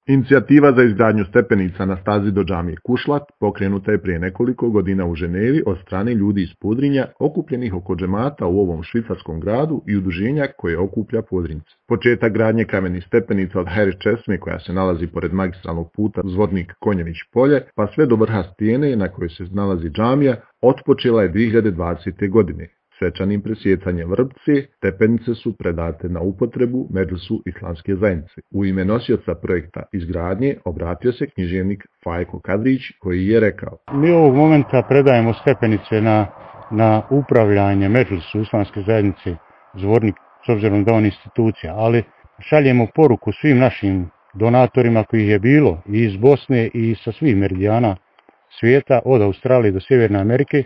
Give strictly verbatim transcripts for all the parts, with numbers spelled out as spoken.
Inicijativa za izgradnju stepenica na stazi do džamije Kušlat pokrenuta je prije nekoliko godina u Ženevi od strane ljudi iz Podrinja okupljenih oko džemata u ovom švicarskom gradu i udruženja koje okuplja Podrinjce. Početak gradnje kamenih stepenica od Hajri česme koja se nalazi pored magistralnog puta Zvornik-Konjević-Polje pa sve do vrha stijene na kojoj se nalazi džamija otpočela je dvije hiljade dvadesete. godine. Svečanim presjecanjem vrpce, stepenice su predate na upotrebu Medžlisu islamske zajednice. U ime nosioca projekta izgradnje obratio se književnik Fajko Kadrić koji je rekao: Mi ovog momenta predajemo stepenice na, na upravljanje Medžlisu islamske zajednice Zvornik, s obzirom da on institucija, ali šaljemo poruku svim našim donatorima kojih je bilo i iz Bosne i sa svih meridijana svijeta, od Australije do Sjeverne Amerike.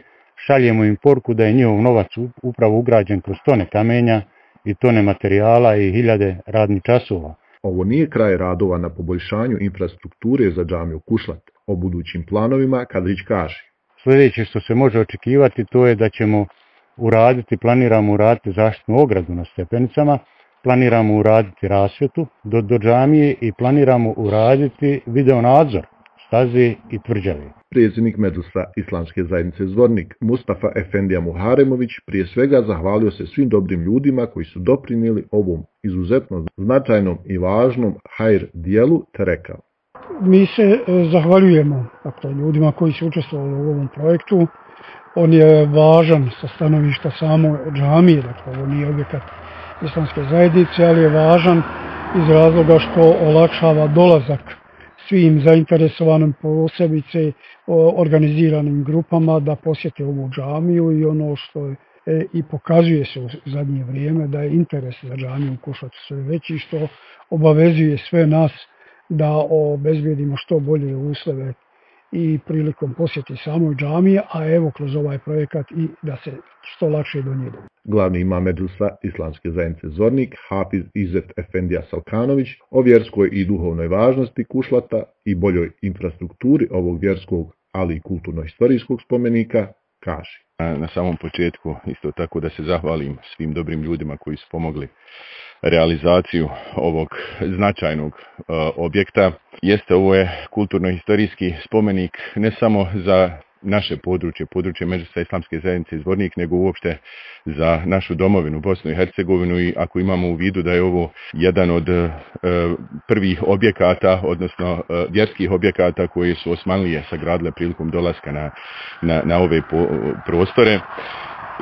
Šaljemo im poruku da je njihov novac upravo ugrađen kroz tone kamenja i tone materijala i hiljade radnih časova. Ovo nije kraj radova na poboljšanju infrastrukture za džamiju Kušlat. O budućim planovima Kadrić kaže: Sljedeće što se može očekivati to je da ćemo uraditi, planiramo uraditi zaštitnu ogradu na stepenicama, planiramo uraditi rasvjetu do, do džamije i planiramo uraditi video nadzor staze i tvrđave. Predsjednik Medžlisa islamske zajednice Zvornik Mustafa Efendija Muharemović prije svega zahvalio se svim dobrim ljudima koji su doprinijeli ovom izuzetno značajnom i važnom hajr dijelu te rekao: Mi se zahvaljujemo dakle, ljudima koji su učestvovali u ovom projektu. On je važan sa stanovišta samo džamije, dakle ovo nije objekat islamske zajednice, ali je važan iz razloga što olakšava dolazak svim zainteresovanim, posebice organiziranim grupama da posjete ovu džamiju i ono što je i pokazuje se u zadnje vrijeme da je interes za džamiju u Kušlatu sve veći, što obavezuje sve nas da obezbijedimo što bolje uslove i prilikom posjeti samoj džamije, a evo kroz ovaj projekat i da se što lakše do nje dođe. Glavni imam Medžlisa islamske zajednice Zvornik, Hafiz Izet Efendija Salkanović, o vjerskoj i duhovnoj važnosti Kušlata i boljoj infrastrukturi ovog vjerskog, ali i kulturno-historijskog spomenika, kaže: Na samom početku isto tako da se zahvalim svim dobrim ljudima koji su pomogli realizaciju ovog značajnog uh, objekta. Jeste, ovo je kulturno-historijski spomenik ne samo za naše područje, područje Medžlisa islamske zajednice Zvornik, nego uopšte za našu domovinu, Bosnu i Hercegovinu, i ako imamo u vidu da je ovo jedan od uh, prvih objekata, odnosno uh, vjerskih objekata koji su Osmanlije sagradile prilikom dolaska na, na, na ove po, prostore.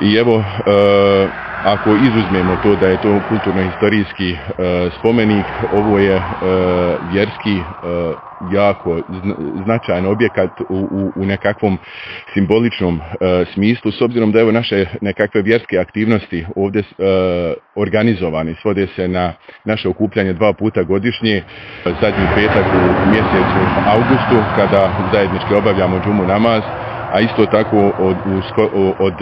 I evo, e, ako izuzmemo to da je to kulturno-historijski e, spomenik, ovo je e, vjerski e, jako značajan objekat u, u, u nekakvom simboličnom e, smislu, s obzirom da evo naše nekakve vjerske aktivnosti ovdje e, organizovane, svode se na naše okupljanje dva puta godišnje, zadnji petak u mjesecu augustu kada zajednički obavljamo džumu namaz. A isto tako od, od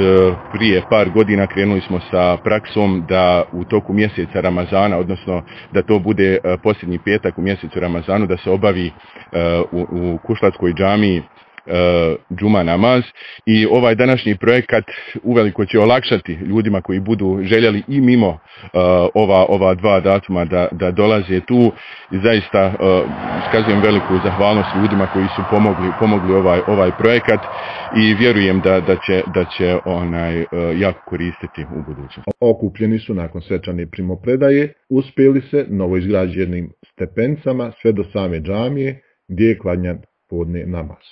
prije par godina krenuli smo sa praksom da u toku mjeseca Ramazana, odnosno da to bude posljednji petak u mjesecu Ramazanu, da se obavi u, u Kušlatskoj džamiji džuma namaz, i ovaj današnji projekat uveliko će olakšati ljudima koji budu željeli i mimo uh, ova, ova dva datuma da, da dolaze tu, i zaista uh, iskazujem veliku zahvalnost ljudima koji su pomogli, pomogli ovaj, ovaj projekat, i vjerujem da, da će, da će onaj, uh, jako koristiti u budućnosti. Okupljeni su nakon svečane primopredaje uspjeli se novoizgrađenim stepenicama sve do same džamije gdje je klanjan podne namaz.